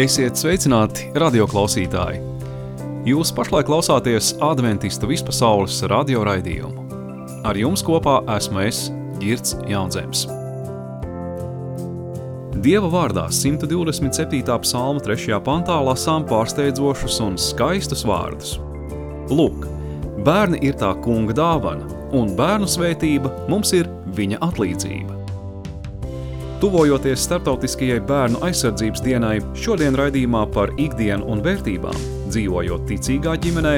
Esiet sveicināti, radioklausītāji! Jūs pašlaik klausāties Adventistu vispasaules radio raidījumu. Ar jums kopā esmu es, Girts Jaunzems. Dieva vārdā 127. psalma 3. pantā lasām pārsteidzošus un skaistus vārdus. Lūk, bērni ir tā kunga dāvana, un bērnu svētība mums ir viņa atlīdzība. Tuvojoties starptautiskajai bērnu aizsardzības dienai, šodien raidījumā par ikdienu un vērtībām, dzīvojot ticīgā ģimenē,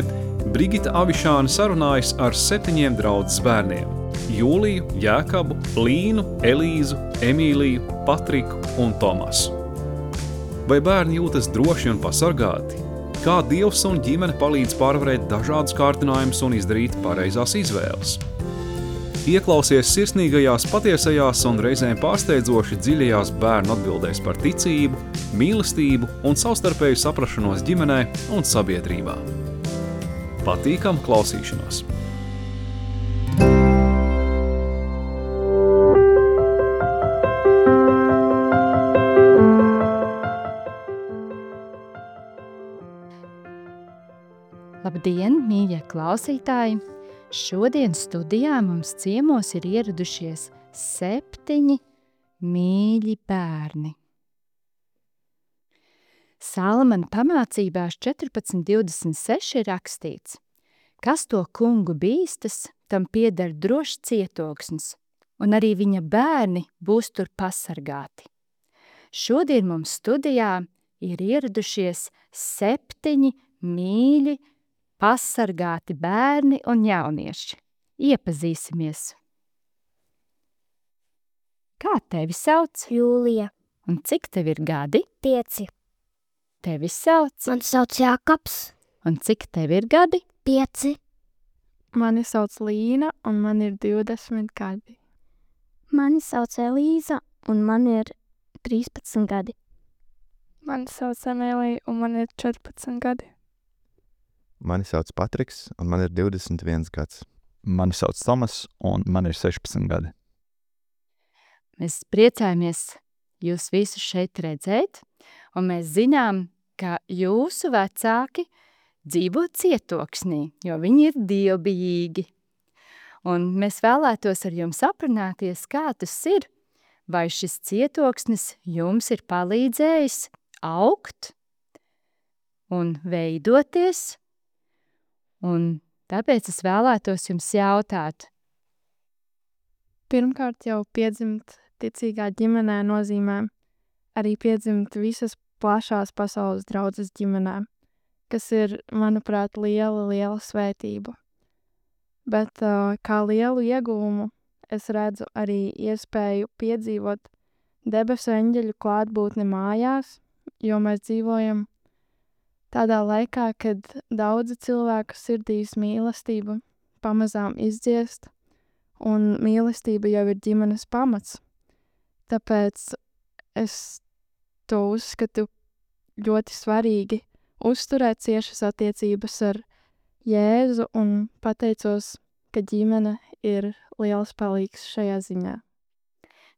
Brigita Avišāne sarunājas ar 7 draudzes bērniem – Jūliju, Jēkabu, Līnu, Elīzu, Emīliju, Patriku un Tomasu. Vai bērni jūtas droši un pasargāti? Kā Dievs un ģimene palīdz pārvarēt dažādus kārtinājumus un izdarīt pareizās izvēles? Ieklausies sirsnīgajās, patiesajās un reizēm pārsteidzoši dziļajās bērnu atbildēs par ticību, mīlestību un savstarpēju saprašanos ģimenē un sabiedrībā. Patīkamu klausīšanos! Labdien, mīļie klausītāji! Šodien studijā mums ciemos ir ieradušies 7 mīļi bērni. Salamana pamācībās 14.26 ir rakstīts: kas to kungu bīstas, tam pieder drošs cietoksnis, un arī viņa bērni būs tur pasargāti. Šodien mums studijā ir ieradušies 7 mīļi pasargāti bērni un jaunieši. Iepazīsimies. Kā tevi sauc? Jūlija. Un cik tev ir gadi? 5. Tevi sauc? Man sauc Jākaps. Un cik tev ir gadi? 5. Mani sauc Līna, un man ir 20 gadi. Mani sauc Elīza, un man ir 13 gadi. Mani sauc Emīlija, un man ir 14 gadi. Mani sauc Patriks, un man ir 21 gads. Mani sauc Tomas, un man ir 16 gadi. Mēs priecājamies jūs visus šeit redzēt, un mēs zinām, ka jūsu vecāki dzīvo cietoksnī, jo viņi ir dievbijīgi. Un mēs vēlētos ar jums aprunāties, kā tas ir, vai šis cietoksnis jums ir palīdzējis augt un veidoties. Un tāpēc es vēlētos jums jautāt. Pirmkārt jau piedzimt ticīgā ģimenē nozīmē arī piedzimt visas plašās pasaules draudzes ģimenē, kas ir, manuprāt, liela svētība. Bet kā lielu ieguvumu es redzu arī iespēju piedzīvot debesu eņģeļu klātbūtni mājās, jo mēs dzīvojam tādā laikā, kad daudzi cilvēku sirdīs mīlestība pamazām izdziest, un mīlestība jau ir ģimenes pamats. Tāpēc es to uzskatu ļoti svarīgi uzturēt ciešas attiecības ar Jēzu un pateicos, ka ģimene ir liels palīgs šajā ziņā.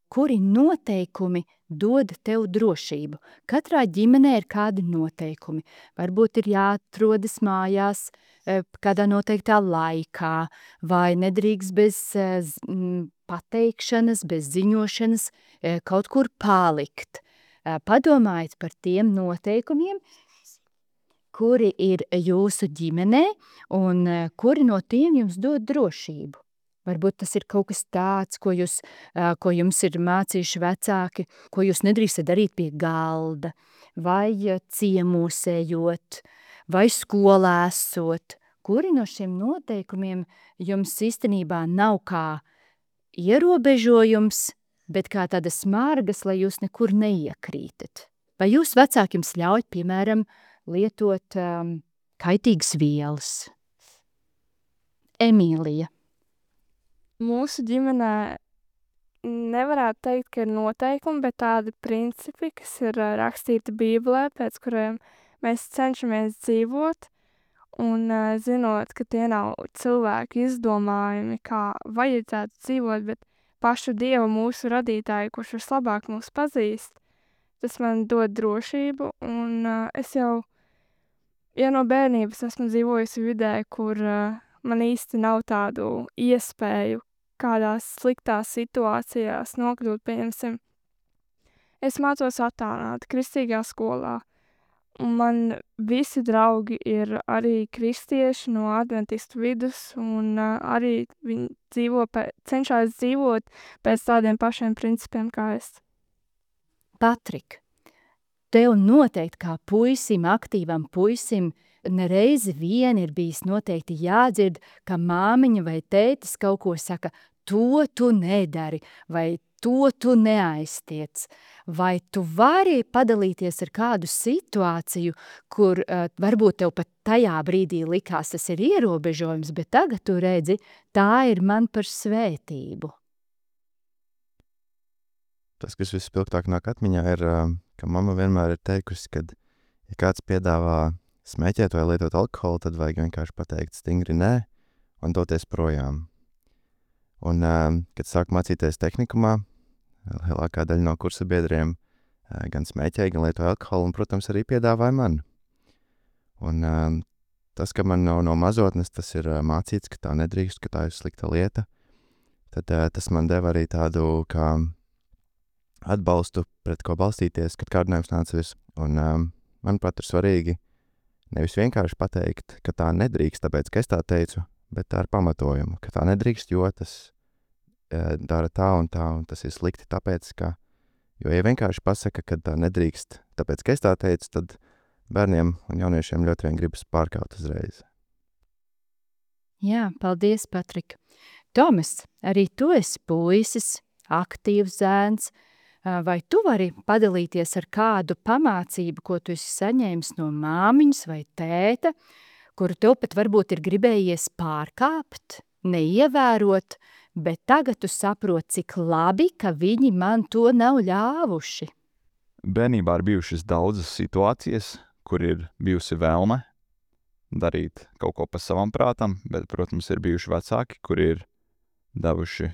Kuri noteikumi dod tev drošību? Katrā ģimenē ir kādi noteikumi. Varbūt ir jāatrodas mājās kādā noteiktā laikā, vai nedrīkst bez pateikšanas, bez ziņošanas kaut kur palikt. Padomājiet par tiem noteikumiem, kuri ir jūsu ģimenē un kuri no tiem jums dod drošību. Varbūt tas ir kaut kas tāds, ko jums ir mācījuši vecāki, ko jūs nedrīkstat darīt pie galda, vai ciemosējot, vai skolā esot. Kuri no šiem noteikumiem jums īstenībā nav kā ierobežojums, bet kā tādas margas, lai jūs nekur neiekrītat? Vai jūs vecāki jums ļauj, piemēram, lietot kaitīgas vielas? Emīlija. Mūsu ģimenē nevarētu teikt, ka ir noteikumi, bet tādi principi, kas ir rakstīti Bībelē, pēc kuriem mēs cenšamies dzīvot, un zinot, ka tie nav cilvēku izdomājumi, kā vajadzētu dzīvot, bet pašu Dievu mūsu radītāju, kurš vislabāk mūs pazīst, tas man dod drošību, un es jau no bērnības esmu dzīvojusi vidē, kur man īsti nav tādu iespēju kādās sliktās situācijās nokļūt, pieņemsim. Es mācos attālināti kristīgā skolā, un man visi draugi ir arī kristieši no adventistu vidus, un arī viņi cenšas dzīvot pēc tādiem pašiem principiem kā es. Patrik, tev noteikti kā puisim, aktīvam puisim, nereizi vien ir bijis noteikti jādzird, ka māmiņa vai tētis kaut ko saka, to tu nedari, vai to tu neaiztiec. Vai tu vari padalīties ar kādu situāciju, kur varbūt tev pat tajā brīdī likās tas ir ierobežojums, bet tagad tu redzi, tā ir man par svētību? Tas, kas vispilgtāk nāk atmiņā, ir, ka mamma vienmēr ir teikusi, ka, ja kāds piedāvā smēķēt vai lietot alkoholu, tad vajag vienkārši pateikt stingri nē un doties projām. Un, kad sāku mācīties tehnikumā, lielākā daļa no kursa biedriem gan smēķēja, gan lietoja alkoholu un, protams, arī piedāvāja man. Un tas, ka man no mazotnes tas ir mācīts, ka tā nedrīkst, ka tā ir slikta lieta, tad tas man deva arī tādu kā atbalstu, pret ko balstīties, kad kārdinājums nāca virs. Un manuprāt, ir svarīgi nevis vienkārši pateikt, ka tā nedrīkst, tāpēc, ka es tā teicu, bet tā ar pamatojumu, ka tā nedrīkst, jo tas dara tā, un tas ir slikti, tāpēc, ka, jo, ja vienkārši pasaka, ka tā nedrīkst, tāpēc, ka es tā teicu, tad bērniem un jauniešiem ļoti vien gribas pārkaut uzreiz. Jā, paldies, Patrik. Tomas, arī tu esi puisis, aktīvs zēns, vai tu vari padalīties ar kādu pamācību, ko tu esi saņēmis no māmiņas vai tēta, kuru tev pat varbūt ir gribējies pārkāpt, neievērot, bet tagad tu saproti, cik labi, ka viņi man to nav ļāvuši. Bērnībā ir bijušas daudzas situācijas, kur ir bijusi vēlme darīt kaut ko pa savam prātam, bet, protams, ir bijuši vecāki, kuri ir devuši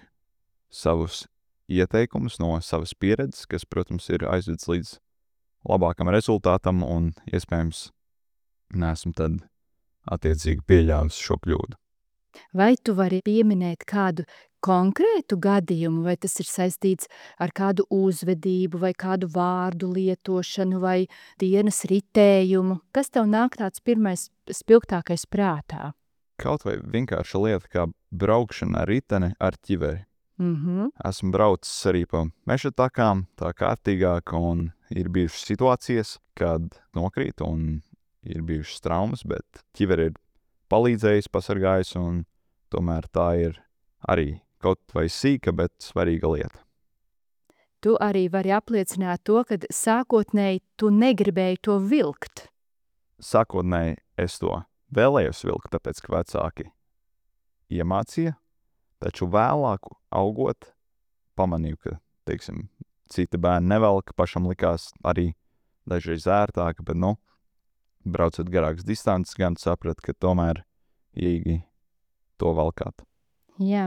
savus ieteikumus no savas pieredzes, kas, protams, ir aizvedis līdz labākam rezultātam un, iespējams, neesmu tad attiecīgi pieļāvis šo kļūdu. Vai tu vari pieminēt kādu konkrētu gadījumu, vai tas ir saistīts ar kādu uzvedību, vai kādu vārdu lietošanu, vai dienas ritējumu? Kas tev nāk tāds pirmais spilgtākais prātā? Kaut vai vienkārša lieta kā braukšana ar riteni ar ķiveri. Esmu braucis arī pa meža takām, tā kārtīgāk, un ir bijušas situācijas, kad nokrīt un ir bijušas traumas, bet ķiveri ir palīdzējis, pasargājis, un tomēr tā ir arī kaut vai sīka, bet svarīga lieta. Tu arī vari apliecināt to, ka sākotnēji tu negribēji to vilkt. Sākotnēji es to vēlējos vilkt, tāpēc, ka vecāki iemācīja, taču vēlāk augot pamanīju, ka, teiksim, citi bērni nevelk, pašam likās arī dažreiz ērtāk, bet, braucot garākas distances, gan saprat, ka tomēr īgi to valkāt. Jā,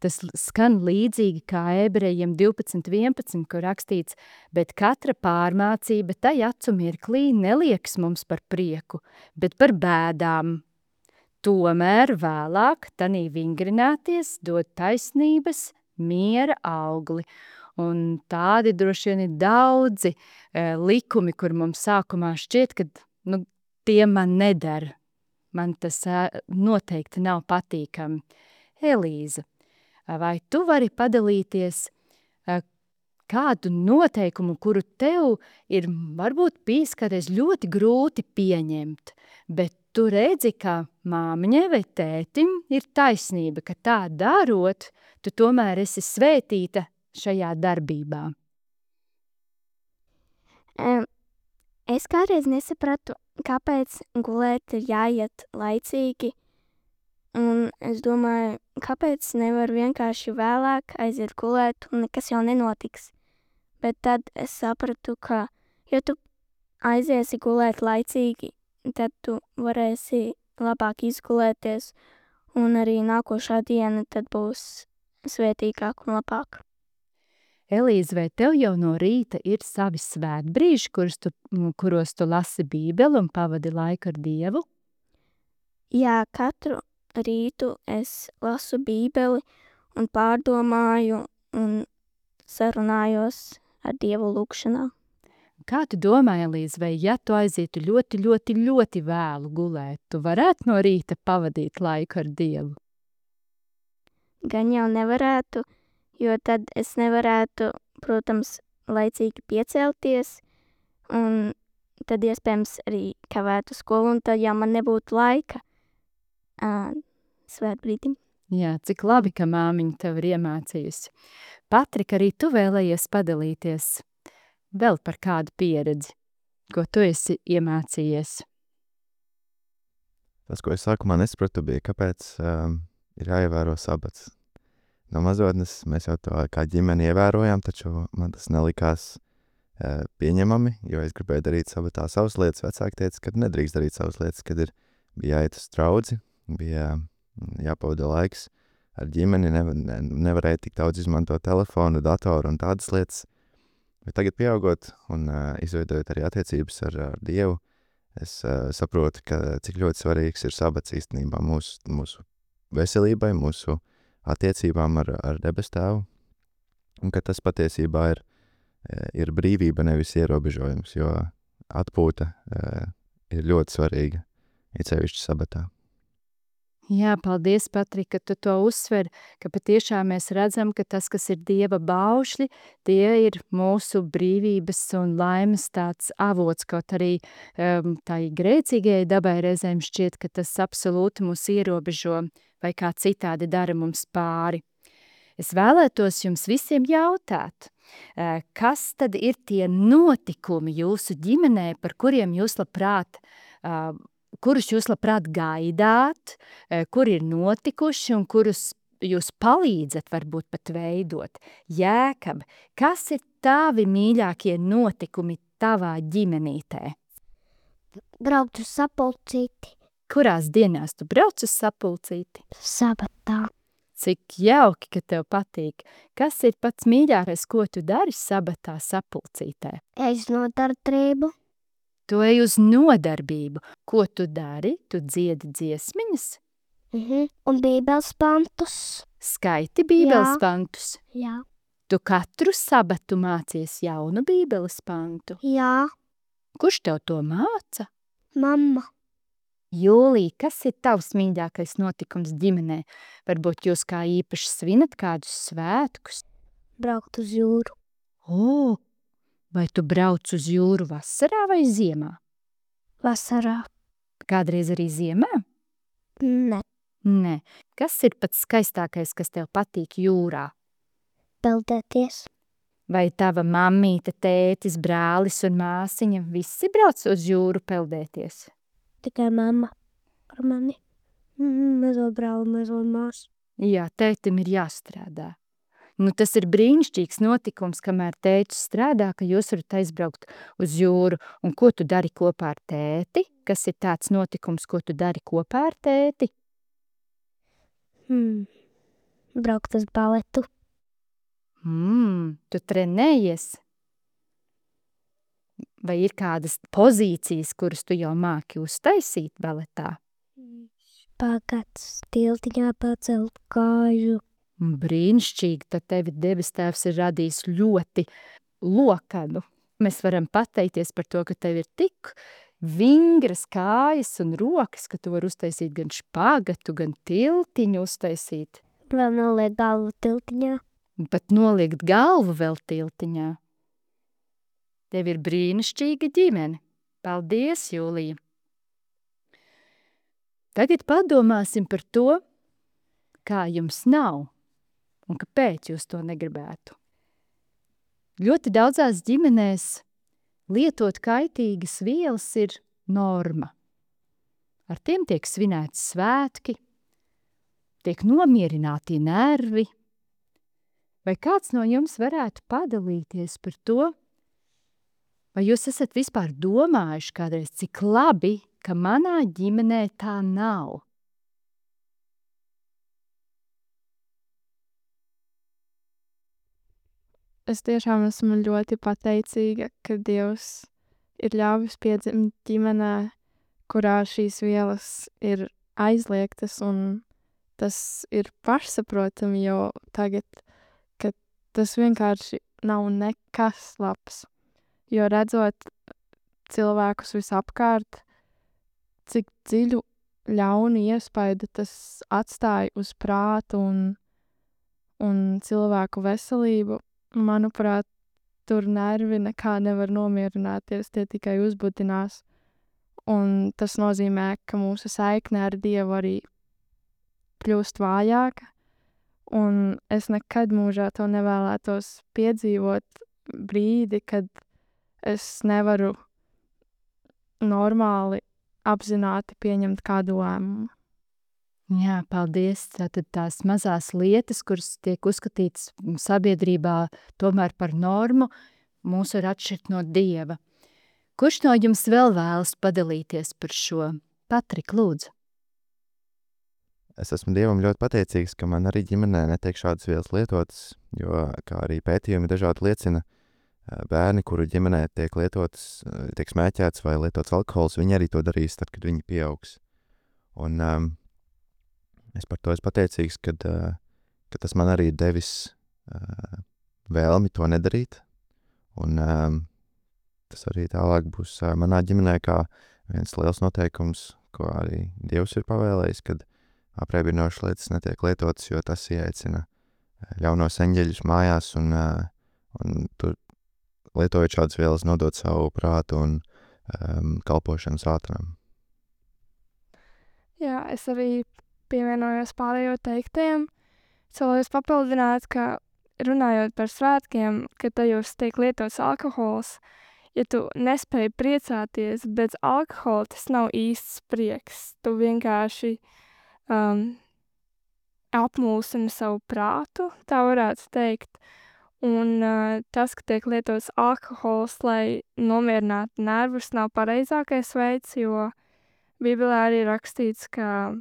tas skan līdzīgi kā Ebrejiem 12.11, kur rakstīts, bet katra pārmācība tai acu mirklī nelieks mums par prieku, bet par bēdām. Tomēr vēlāk tanī vingrināties dod taisnības miera augli. Un tādi droši vien ir daudzi likumi, kur mums sākumā šķiet, ka tie man nedara. Man tas noteikti nav patīkami. Elīza, vai tu vari padalīties kādu noteikumu, kuru tev ir varbūt bijis kādreiz ļoti grūti pieņemt, bet tu redzi, ka māmiņai vai tētim ir taisnība, ka tā darot, tu tomēr esi svētīta šajā darbībā? Es kādreiz nesapratu, kāpēc gulēt ir jāiet laicīgi, un es domāju, kāpēc nevar vienkārši vēlāk aiziet gulēt un nekas jau nenotiks. Bet tad es sapratu, ka, ja tu aiziesi gulēt laicīgi, tad tu varēsi labāk izgulēties, un arī nākošā diena tad būs svētīgāk un labāk. Elīze, vai tev jau no rīta ir savi svētbrīži, kuros tu lasi Bībeli un pavadi laiku ar Dievu? Jā, katru rītu es lasu Bībeli un pārdomāju un sarunājos ar Dievu lūkšanā. Kā tu domā, Elīze, vai ja tu aizietu ļoti, ļoti, ļoti vēlu gulēt, tu varētu no rīta pavadīt laiku ar Dievu? Gan jau nevarētu, jo tad es nevarētu, protams, laicīgi piecelties, un tad iespējams arī kavētu skolu, un tad jau man nebūtu laika svētbrīdim. Jā, cik labi, ka māmiņa tev ir iemācījusi. Patrika, arī tu vēlējies padalīties vēl par kādu pieredzi, ko tu esi iemācījies. Tas, ko es sākumā nesapratu, bija, kāpēc ir jāievēro sabats. No mazotnes mēs jau to kā ģimeni ievērojām, taču man tas nelikās pieņemami, jo es gribēju darīt sabatā savas lietas. Vecāki teica, ka nedrīkst darīt savas lietas, kad bija jāiet uz draudzi, bija jāpavada laiks ar ģimeni, nevarēja tik daudz izmantot telefonu, datoru un tādas lietas. Bet tagad pieaugot un izveidojot arī attiecības ar Dievu, es saprotu, cik ļoti svarīgs ir sabats īstenībā mūsu veselībai, mūsu attiecībām ar debes tēvu, un ka tas patiesībā ir brīvība, nevis ierobežojums, jo atpūta ir ļoti svarīga, it sevišķi sabatā. Jā, paldies, Patrika, ka tu to uzsver, ka patiešām mēs redzam, ka tas, kas ir Dieva baušļi, tie ir mūsu brīvības un laimes tāds avots, kaut arī tai grēcīgajai dabai reizēm šķiet, ka tas absolūti mūs ierobežo vai kā citādi dara mums pāri. Es vēlētos jums visiem jautāt, kas tad ir tie notikumi jūsu ģimenē, par kuriem jūs kurus jūs labprāt gaidāt, kuri ir notikuši un kurus jūs palīdzat varbūt pat veidot. Jēkab, kas ir tavi mīļākie notikumi tavā ģimenītē? Braukt uz sapulcīti. Kurās dienās tu brauc uz sapulcīti? Sabatā. Cik jauki, ka tev patīk. Kas ir pats mīļākais, ko tu dari sabatā sapulcītē? Es nodarbību. Tu ej uz nodarbību. Ko tu dari? Tu dziedi dziesmiņas? Un bībeles pantus. Skaiti bībeles pantus? Jā. Tu katru sabatu mācies jaunu bībeles pantu? Jā. Kurš tev to māca? Mamma. Jūlija, kas ir tavs mīļākais notikums ģimenē? Varbūt jūs kā īpaši svinat kādus svētkus? Braukt uz jūru. O, vai tu brauc uz jūru vasarā vai ziemā? Vasarā. Kādreiz arī ziemā? Ne. Nē. Kas ir pats skaistākais, kas tev patīk jūrā? Peldēties. Vai tava mammīte, tētis, brālis un māsiņa visi brauc uz jūru peldēties? Tikai mamma ar mani. Mazo brāli, mazo māsu. Jā, tētim ir jāstrādā. Nu, tas ir brīnišķīgs notikums, kamēr tētis strādā, ka jūs varat aizbraukt uz jūru. Un ko tu dari kopā ar tēti? Kas ir tāds notikums, ko tu dari kopā ar tēti? Braukt uz baletu. Tu trenējies? Vai ir kādas pozīcijas, kuras tu jau māki uztaisīt baletā? Pagats, tiltiņā pacelt kāju. Brīnišķīgi, tad tevi debes tēvs ir radījis ļoti lokanu. Mēs varam pateikties par to, ka tev ir tik vingras kājas un rokas, ka tu vari uztaisīt gan špagatu, gan tiltiņu uztaisīt. Vēl noliek galvu tiltiņā. Pat noliekt galvu vēl tiltiņā. Tev ir brīnišķīga ģimene. Paldies, Jūlija! Tagad padomāsim par to, kā jums nav un kāpēc jūs to negribētu. Ļoti daudzās ģimenēs lietot kaitīgas vielas ir norma. Ar tiem tiek svinēti svētki, tiek nomierināti nervi. Vai kāds no jums varētu padalīties par to, vai jūs esat vispār domājuši kādreiz, cik labi, ka manā ģimenē tā nav? es tiešām esmu ļoti pateicīga, ka Dievs ir ļāvis piedzimt ģimenē, kurā šīs vielas ir aizliegtas, un tas ir pašsaprotami jau tagad, ka tas vienkārši nav nekas labs. Jo redzot cilvēkus visapkārt, cik dziļu ļaunu iespaidu tas atstāja uz prātu un cilvēku veselību, manuprāt, tur nervi nekā nevar nomierināties, tie tikai uzbudinās. Un tas nozīmē, ka mūsu saikne ar Dievu arī kļūst vājāka, un es nekad mūžā to nevēlētos piedzīvot brīdi, kad es nevaru normāli apzināti pieņemt kādu lēmumu. Jā, paldies. Tātad tās mazās lietas, kuras tiek uzskatītas sabiedrībā tomēr par normu, mūs var atšķirt no Dieva. Kurš no jums vēl vēlas padalīties par šo? Patrik, lūdzu. Es esmu Dievam ļoti pateicīgs, ka man arī ģimenē netiek šādas vielas lietotas, jo, kā arī pētījumi dažādi liecina, bērni, kuru ģimenē tiek lietotas, tiek smēķēts vai lietots alkohols, viņi arī to darīs tad, kad viņi pieaugs. Un es par to esmu pateicīgs, ka tas man arī ir devis vēlmi to nedarīt. Un tas arī tālāk būs manā ģimenē kā viens liels noteikums, ko arī Dievs ir pavēlējis, kad apreibinošas lietas netiek lietotas, jo tas ieaicina ļaunos eņģeļus mājās un tur lietojot šādas vielas nodot savu prātu un kalpošanu sātanam. Jā, es arī pievienojos pārējo teiktajiem. Es vēlējos papildināt, ka runājot par svētkiem, kad tajos tiek lietots alkohols, ja tu nespēji priecāties bez alkohola, tas nav īsts prieks. Tu vienkārši apmulsini savu prātu, tā varētu teikt. Un tas, ka tiek lietots alkohols, lai nomierinātu nervus, nav pareizākais veids, jo Bībelē arī rakstīts, ka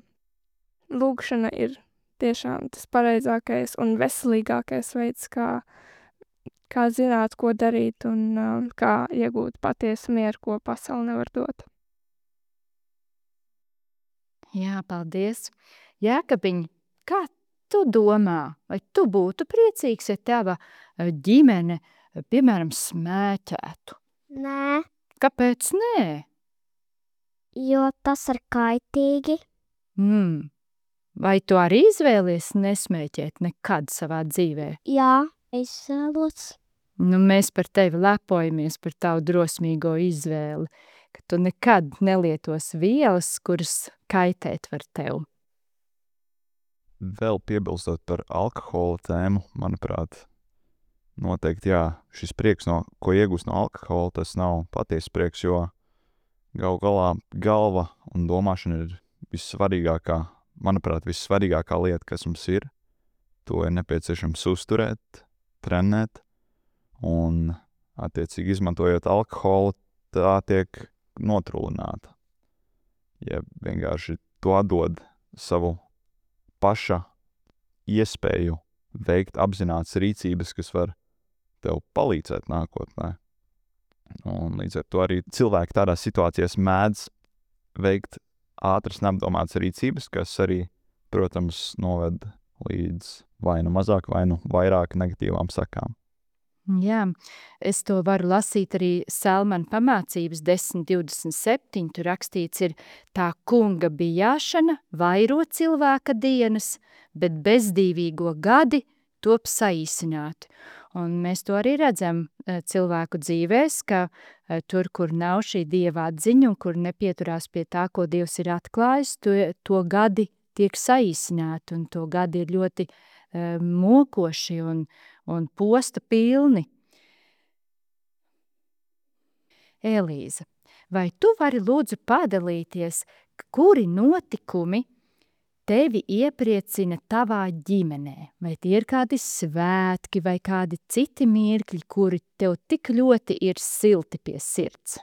lūgšana ir tiešām tas pareizākais un veselīgākais veids, kā zināt, ko darīt un kā iegūt patiesu mieru, ko pasaule nevar dot. Jā, paldies. Jēkabiņ, kā tu domā, vai tu būtu priecīgs, ja tava ģimene, piemēram, smēķētu? Nē, Kāpēc nē? jo tas ir kaitīgi. Vai tu arī izvēlies nesmēķēt nekad savā dzīvē? Jā, es vēlos. Mēs par tevi lepojamies par tavu drosmīgo izvēli, ka tu nekad nelietos vielas, kuras kaitēt var tev. Vēl piebilstot par alkohola tēmu, manuprāt, noteikti jā, šis prieks, ko iegūst no alkohola, tas nav patiesa prieks, jo galu galā galva un domāšana ir vissvarīgākā, manuprāt, vissvarīgākā lieta, kas mums ir. To ir nepieciešams uzturēt, trenēt, un attiecīgi izmantojot alkoholu, tā tiek notrūlināta. Ja vienkārši to atdod savu paša iespēju veikt apzinātas rīcības, kas var tev palīdzēt nākotnē. Un līdz ar to arī cilvēki tādās situācijās mēdz veikt ātras neapdomātas rīcības, kas arī, protams, noved līdz vai nu mazāk, vai nu vairāk negatīvām sakām. Jā, es to varu lasīt arī Salmana pamācības 10.27. Tur rakstīts ir: tā kunga bijāšana vairo cilvēka dienas, bet bezdīvīgo gadi top saīsināti. Un mēs to arī redzam cilvēku dzīvēs, ka tur, kur nav šī Dieva atziņa un kur nepieturās pie tā, ko Dievs ir atklājis, to gadi tiek saīsināti un to gadi ir ļoti mokoši un posta pilni. Elīza, vai tu vari lūdzu padalīties, kuri notikumi tevi iepriecina tavā ģimenē? Vai tie ir kādi svētki vai kādi citi mirkļi, kuri tev tik ļoti ir silti pie sirds?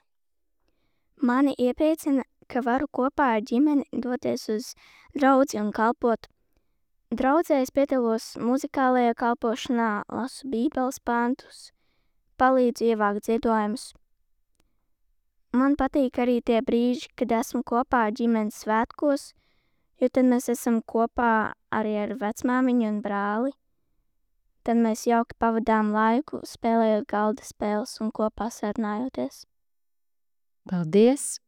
Mani iepriecina, ka varu kopā ar ģimeni doties uz draudzi un kalpot Draudzē es piedalos muzikālajā kalpošanā, lasu bībeles pantus, palīdzu ievākt ziedojumus. Man patīk arī tie brīži, kad esmu kopā ar ģimenes svētkos, jo tad mēs esam kopā arī ar vecmāmiņu un brāli. Tad mēs jauki pavadām laiku, spēlējot galda spēles un kopā sarunājoties. Paldies!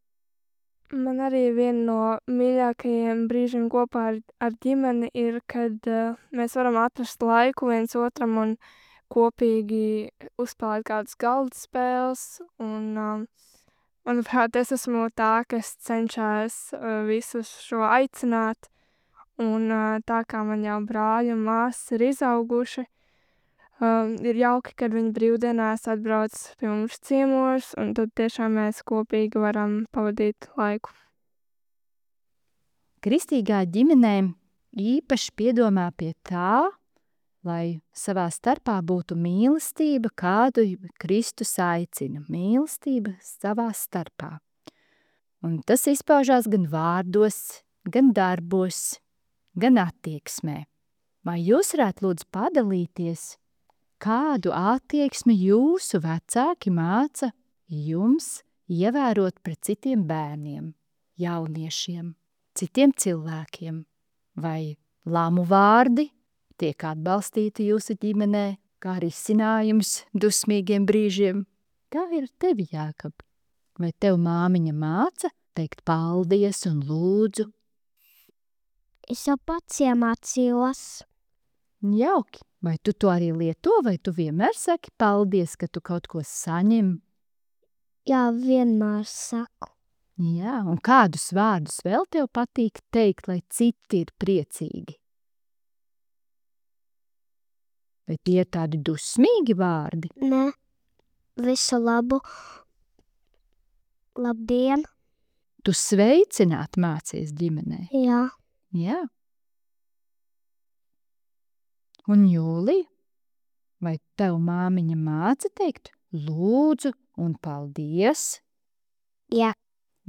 Man arī viena no mīļākajiem brīžiem kopā ar ģimeni ir, kad mēs varam atrast laiku viens otram un kopīgi uzspēlēt kādas galda spēles. Un, manuprāt, es esmu tā, kas cenšas visus šo aicināt. Un tā kā man jau brāļi un māsas ir izauguši, ir jauki, kad viņi brīvdienās atbrauc pie mums ciemos, un tad tiešām mēs kopīgi varam pavadīt laiku. Kristīgā ģimenē īpaši piedomā pie tā, lai savā starpā būtu mīlestība, kādu Kristus aicina. Mīlestība savā starpā. Un tas izpaužās gan vārdos, gan darbos, gan attieksmē. Vai jūs varētu lūdzu padalīties, kādu attieksmi jūsu vecāki māca jums ievērot pret citiem bērniem, jauniešiem, citiem cilvēkiem? Vai lamu vārdi tiek atbalstīti jūsu ģimenē, kā risinājums dusmīgiem brīžiem? Kā ir tevi, Jākab? Vai tev māmiņa māca teikt paldies un lūdzu? Es jau pats iemācījos. Jauki. Vai tu to arī lieto, vai tu vienmēr saki paldies, ka tu kaut ko saņem? Jā, vienmēr saku. Jā, un kādus vārdus vēl tev patīk teikt, lai citi ir priecīgi? Vai tie ir tādi dusmīgi vārdi? Nē, visu labu. Labdien. Tu sveicināt mācies ģimenē? Jā. Jā. Un Jūlija, vai tev māmiņa māca teikt lūdzu un paldies? Jā.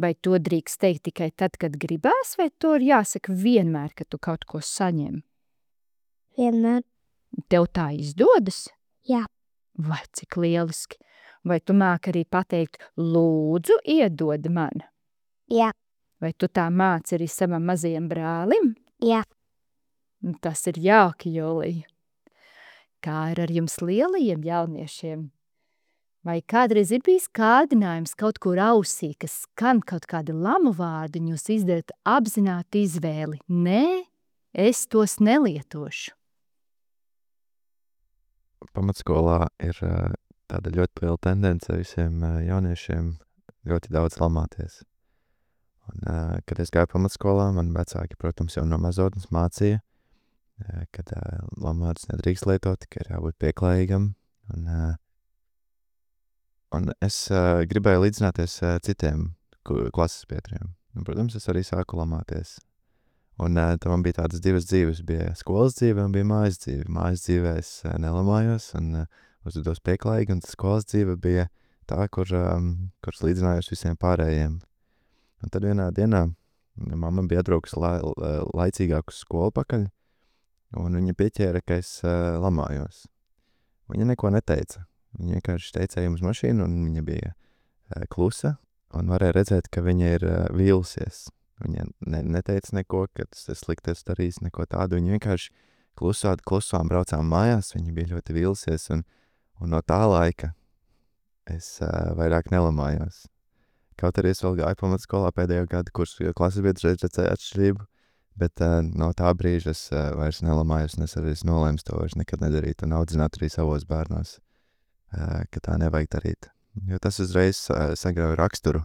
Vai to drīkst teikt tikai tad, kad gribās, vai to ir jāsaka vienmēr, kad tu kaut ko saņem? Vienmēr. Tev tā izdodas? Jā. Vai cik lieliski? Vai tu māki arī pateikt lūdzu iedod man? Jā. Vai tu tā māci arī savam mazajam brālim? Jā. Tas ir jauki, Jūlija. Kā ir ar jums lielajiem jauniešiem? Vai kādreiz ir bijis kārdinājums kaut kur ausī, kas skan kaut kādi lamu vārdi, un jūs izdarat apzināti izvēli? Nē, es tos nelietošu. Pamatskolā ir tāda ļoti liela tendence visiem jauniešiem ļoti daudz lamāties. Un, kad es gāju pamatskolā, man vecāki, protams, jau no mazotnes mācīja, kad lamātas nedrīkst lietot, ka ir jābūt pieklājīgam. Un es gribēju līdzināties citiem klases biedriem. Un, protams, es arī sāku lamāties. Un tad man bija tādas divas dzīves. Bija skolas dzīve un bija mājas dzīve. Mājas dzīvē es nelamājos un uzvedos pieklājīgi, un skolas dzīve bija tā, kuras līdzinājos visiem pārējiem. Un tad vienā dienā mamma bija atbraukusi laicīgāk uz skolu pakaļ, un viņa pieķēra, ka es lamājos. Viņa neko neteica. Viņa vienkārši teica, ejam uz mašīnu, un viņa bija klusa, un varēja redzēt, ka viņa ir vīlusies. Viņa neteica neko, ka tas slikti esmu darījis, neko tādu. Viņa vienkārši klusām braucām mājās, viņa bija ļoti vīlusies, un no tā laika es vairāk nelamājos. Kaut arī es vēl gāju pamatskolā pēdējo gadu kursu, jo klases biedrs redzēja atšķirību, bet no tā brīža es vairs nelamājos, un es arī nolēmu to vairs nekad nedarīt, un audzināt arī savos bērnos, ka tā nevajag darīt. Jo tas uzreiz sagrauj raksturu.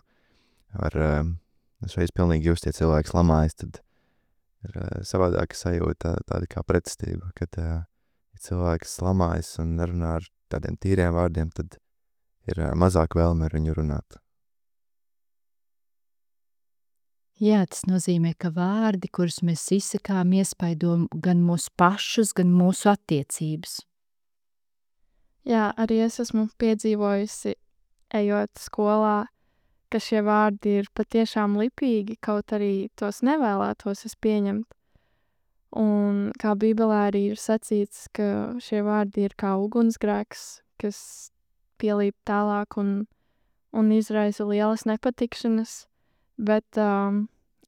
Uzreiz pilnīgi just, ja cilvēks lamājas, tad ir savādāka sajūta, tāda kā pretestība, kad ja cilvēks lamājas un nerunā ar tādiem tīriem vārdiem, tad ir mazāk vēlme ar viņu runāt. Jā, tas nozīmē, ka vārdi, kurus mēs izsakām, iespaido gan mūsu pašus, gan mūsu attiecības. Jā, arī es esmu piedzīvojusi, ejot skolā, ka šie vārdi ir patiešām lipīgi, kaut arī tos nevēlētos es pieņemt. Un kā Bībelē arī ir sacīts, ka šie vārdi ir kā ugunsgrēks, kas pielīp tālāk un izraisa lielas nepatikšanas, bet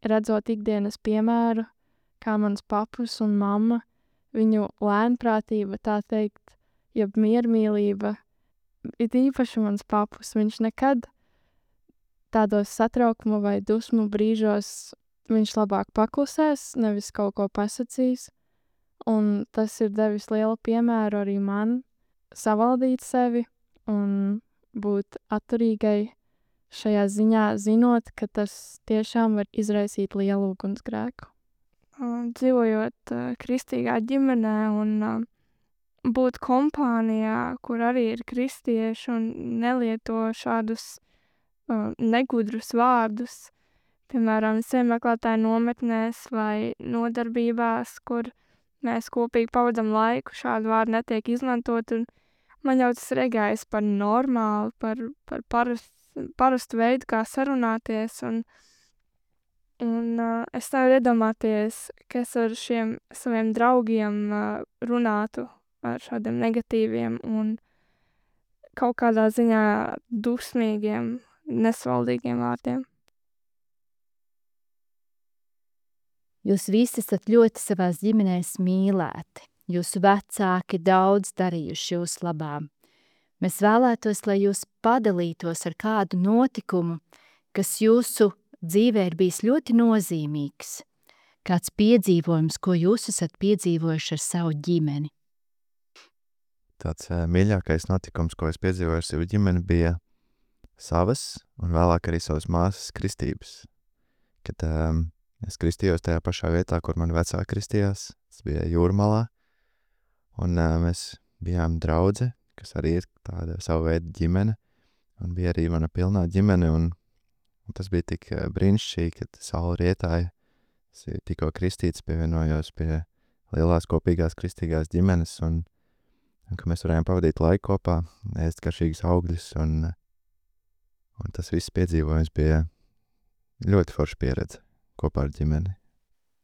redzot ikdienas piemēru, kā mans papus un mamma, viņu lēnprātība, tā teikt, jeb miermīlība, it īpaši mans papus, viņš nekad tādos satraukuma vai dusmu brīžos viņš labāk paklusēs, nevis kaut ko pasakīs, un tas ir devis lielu piemēru arī man savaldīt sevi un būt atturīgai šajā ziņā, zinot, ka tas tiešām var izraisīt lielu ugunsgrēku. Dzīvojot kristīgā ģimenē un būt kompānijā, kur arī ir kristieši un nelieto šādus negudrus vārdus, piemēram, semeklētāju nometnēs vai nodarbībās, kur mēs kopīgi pavadam laiku, šādu vārdu netiek izmantot, un man jau tas regājas par normālu, par parastu veidu, kā sarunāties, un es nevaru iedomāties, ka es ar šiem saviem draugiem runātu ar šādiem negatīviem un kaut kādā ziņā dusmīgiem, nesvaldīgiem vārdiem. Jūs visi esat ļoti savās ģimenēs mīlēti. Jūsu vecāki daudz darījuši jūsu labā. Mēs vēlētos, lai jūs padalītos ar kādu notikumu, kas jūsu dzīvē ir bijis ļoti nozīmīgs. Kāds piedzīvojums, ko jūs esat piedzīvojuši ar savu ģimeni? Tāds mīļākais notikums, ko es piedzīvoju ar savu ģimeni, bija savas un vēlāk arī savas māsas kristības. Kad es kristījos tajā pašā vietā, kur mani vecāki kristījās, tas bija Jūrmalā, un mēs bijām draudze, kas arī ir tāda savu veidu ģimene, un bija arī mana pilnā ģimene, un tas bija tik brīnišķīgi, kad saule rietēja, es tikko kristīts, pievienojos pie lielās kopīgās kristīgās ģimenes, un ka mēs varējām pavadīt laiku kopā, ēst garšīgus augļus, un tas viss piedzīvojums bija ļoti forša pieredze kopā ar ģimeni.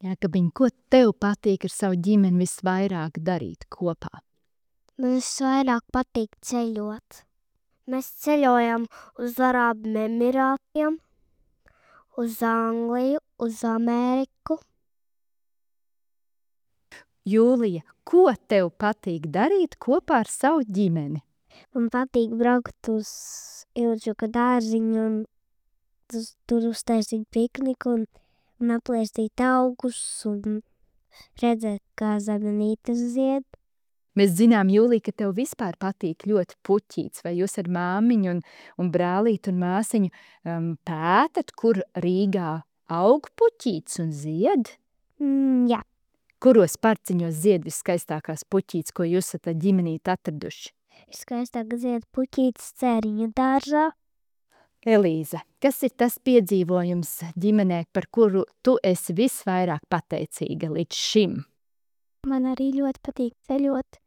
Jākabiņ, ko tev patīk ar savu ģimeni visvairāk darīt kopā? Man visvairāk patīk ceļot. Mēs ceļojam uz Arābu Emirātiem, uz Angliju, uz Ameriku. Jūlija, ko tev patīk darīt kopā ar savu ģimeni? Man patīk braukt uz Ilģuka dārziņu un tur uztaisīt pikniku un aplēstīt augus un redzēt, kā zemenītes zied. Mēs zinām, Jūlija, ka tev vispār patīk ļoti puķīts, vai jūs ar māmiņu un brālīti un māsiņu pētat, kur Rīgā aug puķīts un zied? Jā. Kuros parciņos zied viskaistākās puķītes, ko jūs esat ģimenīt atraduši? Viskaistāk zied puķītes Cēriņu dārzā. Elīza, kas ir tas piedzīvojums ģimenē, par kuru tu esi visvairāk pateicīga līdz šim? Man arī ļoti patīk ceļot.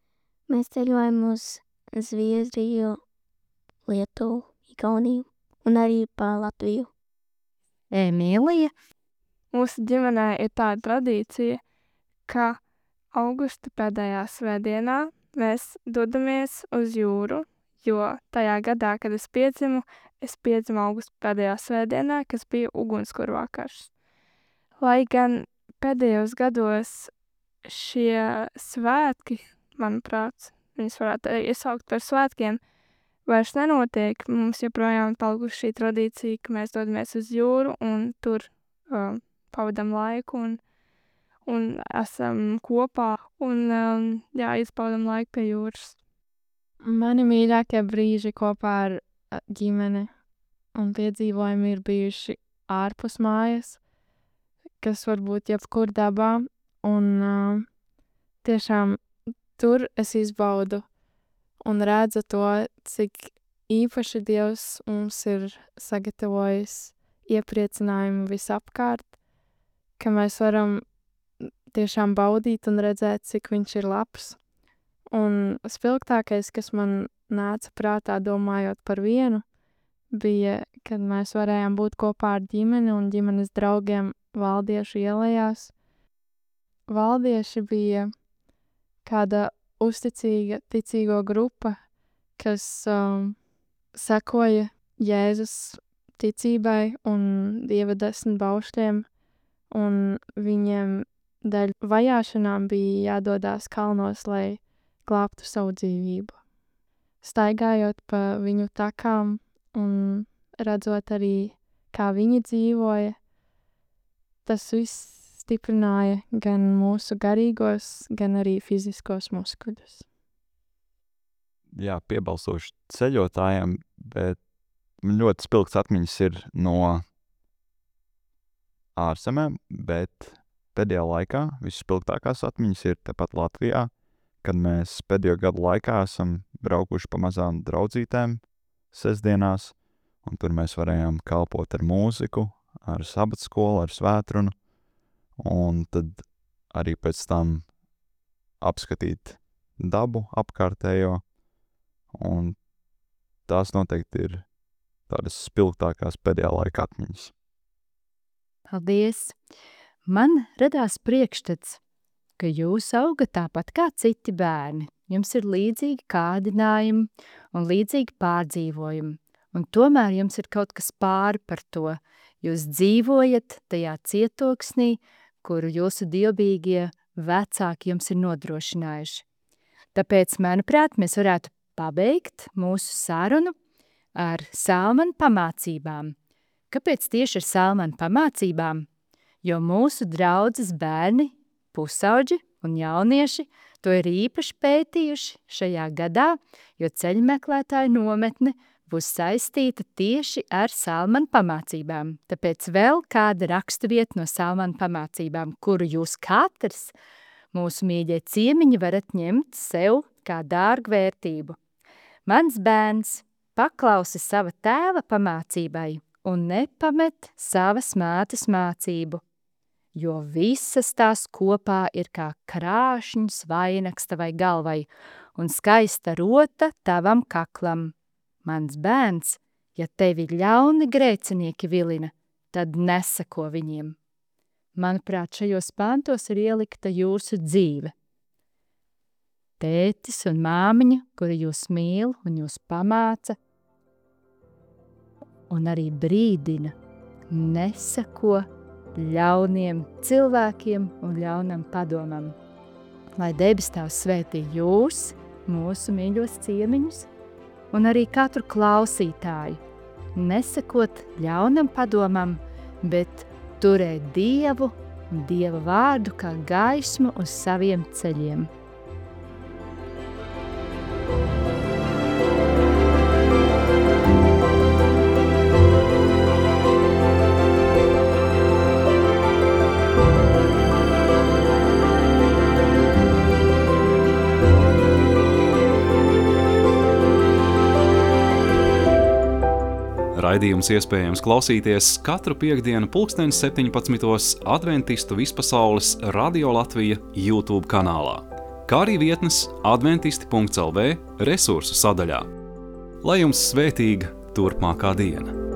Mēs ceļojam uz Zviedriju, Lietuvu, Igauniju un arī pa Latviju. Emīlija? Mūsu ģimenē ir tāda tradīcija, ka augusta pēdējā svētdienā mēs dodamies uz jūru, jo tajā gadā, kad es piedzimu augusta pēdējā svētdienā, kas bija ugunskura vakars. Lai gan pēdējos gados šie svētki, manuprāt, viņus varētu iesaukt par svētkiem, vairs nenotiek. Mums joprojām palikuši šī tradīcija, ka mēs dodamies uz jūru un tur pavadam laiku un esam kopā un izpaudam laiku pie jūras. Mani mīļākie brīži kopā ar ģimeni un piedzīvojumi ir bijuši ārpus mājas, kas var būt jebkur dabā, un tiešām tur es izbaudu un redzu to, cik īpaši Dievs mums ir sagatavojis iepriecinājumu visapkārt, ka mēs varam tiešām baudīt un redzēt, cik viņš ir labs. Un spilgtākais, kas man nāca prātā domājot par vienu, bija, kad mēs varējām būt kopā ar ģimeni un ģimenes draugiem Valdiešu ielējās. valdieši bija kāda uzticīga ticīgo grupa, kas sekoja Jēzus ticībai un Dieva 10 baušļiem, un viņiem dēļ vajāšanām bija jādodās kalnos, lai glābtu savu dzīvību. Staigājot pa viņu takām un redzot arī, kā viņi dzīvoja, tas viss stiprināja gan mūsu garīgos, gan arī fiziskos muskuļus. Jā, piebalsoši ceļotājiem, bet man ļoti spilgts atmiņas ir no ārzemēm, bet pēdējā laikā visspilgtākās atmiņas ir tepat Latvijā, kad mēs pēdējo gadu laikā esam braukuši pa mazām draudzītēm sestdienās, un tur mēs varējām kalpot ar mūziku, ar sabatskolu, ar svētrunu, un tad arī pēc tam apskatīt dabu apkārtējo, un tās noteikti ir tādas spilgtākās pēdējā laika atmiņas. Paldies! Man radās priekšstats, ka jūs augat tāpat kā citi bērni. Jums ir līdzīgi kārdinājumi un līdzīgi pārdzīvojumi, un tomēr jums ir kaut kas pāri par to. Jūs dzīvojat tajā cietoksnī, kuru jūsu dievbijīgie vecāki jums ir nodrošinājuši. Tāpēc, manuprāt, mēs varētu pabeigt mūsu sarunu ar Salmanu pamācībām. Kāpēc tieši ar Salmanu pamācībām? Jo mūsu draudzes bērni, pusauģi un jaunieši to ir īpaši pētījuši šajā gadā, jo ceļmeklētāju nometne būs saistīta tieši ar Salmanu pamācībām. Tāpēc vēl kāda raksturvieta no Salmanu pamācībām, kuru jūs katrs, mūsu mīļie ciemiņi, varat ņemt sev kā dārgu vērtību. Mans bērns paklausi sava tēva pamācībai un nepamet savas mātes mācību, jo visas tās kopā ir kā krāšņs vainags tavai galvai un skaista rota tavam kaklam. Mans bērns, ja tevi ļauni grēcinieki vilina, tad neseko viņiem. Manuprāt, šajos pantos ir ielikta jūsu dzīve. Tētis un māmiņa, kuri jūs mīl un jūs pamāca, un arī brīdina, neseko ļauniem cilvēkiem un ļaunam padomam. Lai debes Tēvs svētī jūs, mūsu mīļos ciemiņus, un arī katru klausītāju, nesekot ļaunam padomam, bet turēt Dievu un Dieva vārdu kā gaismu uz saviem ceļiem. Raidījums iespējams klausīties katru piektdienu 17:00 Adventistu vispasaules Radio Latvija YouTube kanālā, kā arī vietnes adventisti.lv resursu sadaļā. Lai jums svētīga turpmākā diena!